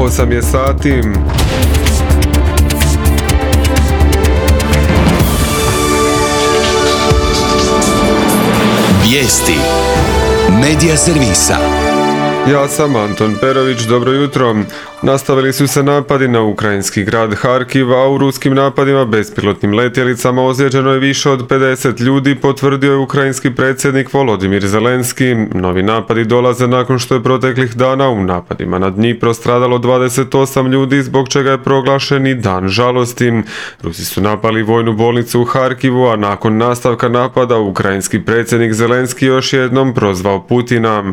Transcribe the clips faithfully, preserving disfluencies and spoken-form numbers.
osam je sati. Vijesti Medija servisa. Ja sam Anton Perović, dobro jutro. Nastavili su se napadi na ukrajinski grad Harkiv, a u ruskim napadima bespilotnim letjelicama ozlijeđeno je više od pedeset ljudi, potvrdio je ukrajinski predsjednik Volodimir Zelenski. Novi napadi dolaze nakon što je proteklih dana u napadima na Dnipro stradalo dvadeset osam ljudi, zbog čega je proglašen i dan žalosti. Rusi su napali vojnu bolnicu u Harkivu, a nakon nastavka napada ukrajinski predsjednik Zelenski još jednom prozvao Putina.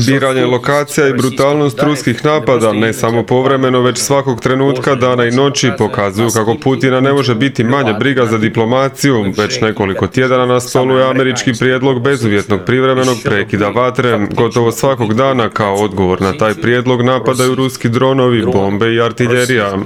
Biranje lokacija i brutalnost ruskih napada, ne samo povremeno, već svakog trenutka dana i noći, pokazuju kako Putina ne može biti manje briga za diplomaciju. Već nekoliko tjedana na stolu je američki prijedlog bezuvjetnog privremenog prekida vatre. Gotovo svakog dana kao odgovor na taj prijedlog napadaju ruski dronovi, bombe i artiljerija.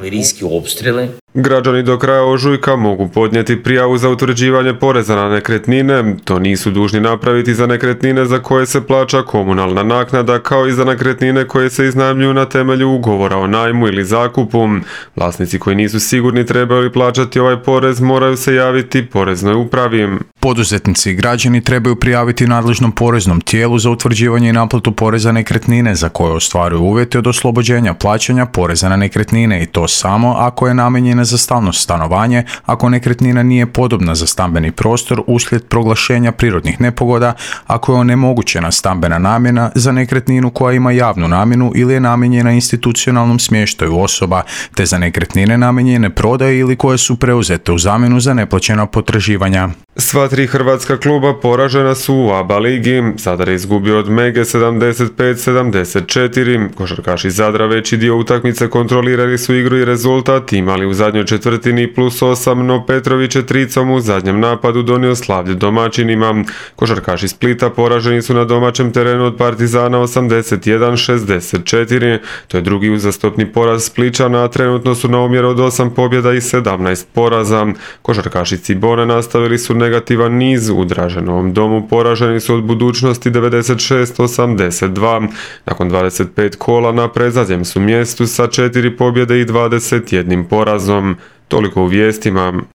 Građani do kraja ožujka mogu podnijeti prijavu za utvrđivanje poreza na nekretnine. To nisu dužni napraviti za nekretnine za koje se plaća komunalna naknada, kao i za nekretnine koje se iznajmljuju na temelju ugovora o najmu ili zakupu. Vlasnici koji nisu sigurni trebaju li plaćati ovaj porez moraju se javiti poreznoj upravi. Poduzetnici i građani trebaju prijaviti nadležnom poreznom tijelu za utvrđivanje i naplatu poreza nekretnine za koje ostvaruju uvjete od oslobođenja plaćanja poreza na nekretnine, i to samo ako je namijenjena za stalno stanovanje, ako nekretnina nije podobna za stambeni prostor uslijed proglašenja prirodnih nepogoda, ako je onemogućena stambena namjena za nekretninu koja ima javnu namjenu ili je namijenjena institucionalnom smještaju osoba, te za nekretnine namijenjene prodaji ili koje su preuzete u zamjenu za neplaćena potraživanja. Sva tri hrvatska kluba poražena su u A B A ligi. Zadar je izgubio od Mege sedamdeset pet sedamdeset četiri. Košarkaši Zadra veći dio utakmice kontrolirali su igru i rezultat, imali u zadnjoj četvrtini plus osam, no Petrović je tricom u zadnjem napadu donio slavlje domaćinima. Košarkaši Splita poraženi su na domaćem terenu od Partizana osamdeset jedan šezdeset četiri. To je drugi uzastopni poraz Spličana, a trenutno su na omjeru od osam pobjeda i sedamnaest poraza. Košarkaši Cibone nastavili su negativan niz, u Draženovom domu poraženi su od Budućnosti devedeset šest osamdeset dva. Nakon dvadeset pet kola na predzadnjem su mjestu sa četiri pobjede i dvadeset jedan porazom. Toliko u vijestima.